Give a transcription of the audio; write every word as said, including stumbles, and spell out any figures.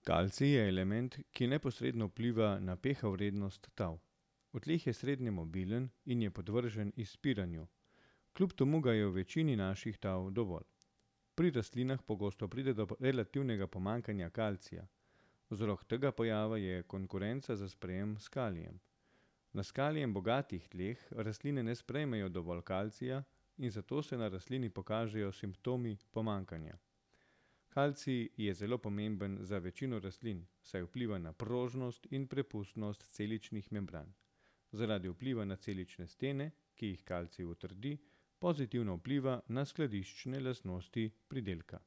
Kalcij je element, ki neposredno vpliva na pH vrednost tal. V tleh je srednje mobilen in je podvržen izspiranju. Kljub temu ga je v večini naših tal dovolj. Pri rastlinah pogosto pride do relativnega pomanjkanja kalcija. Vzrok tega pojava je konkurenca za sprejem s kalijem. Na s kalijem bogatih tleh rastline ne sprejmejo dovolj kalcija in zato se na rastlini pokažejo simptomi pomanjkanja. Kalcij je zelo pomemben za večino rastlin, saj vpliva na prožnost in prepustnost celičnih membran. Zaradi vpliva na celične stene, ki jih kalcij utrdi, pozitivno vpliva na skladiščne lastnosti pridelka.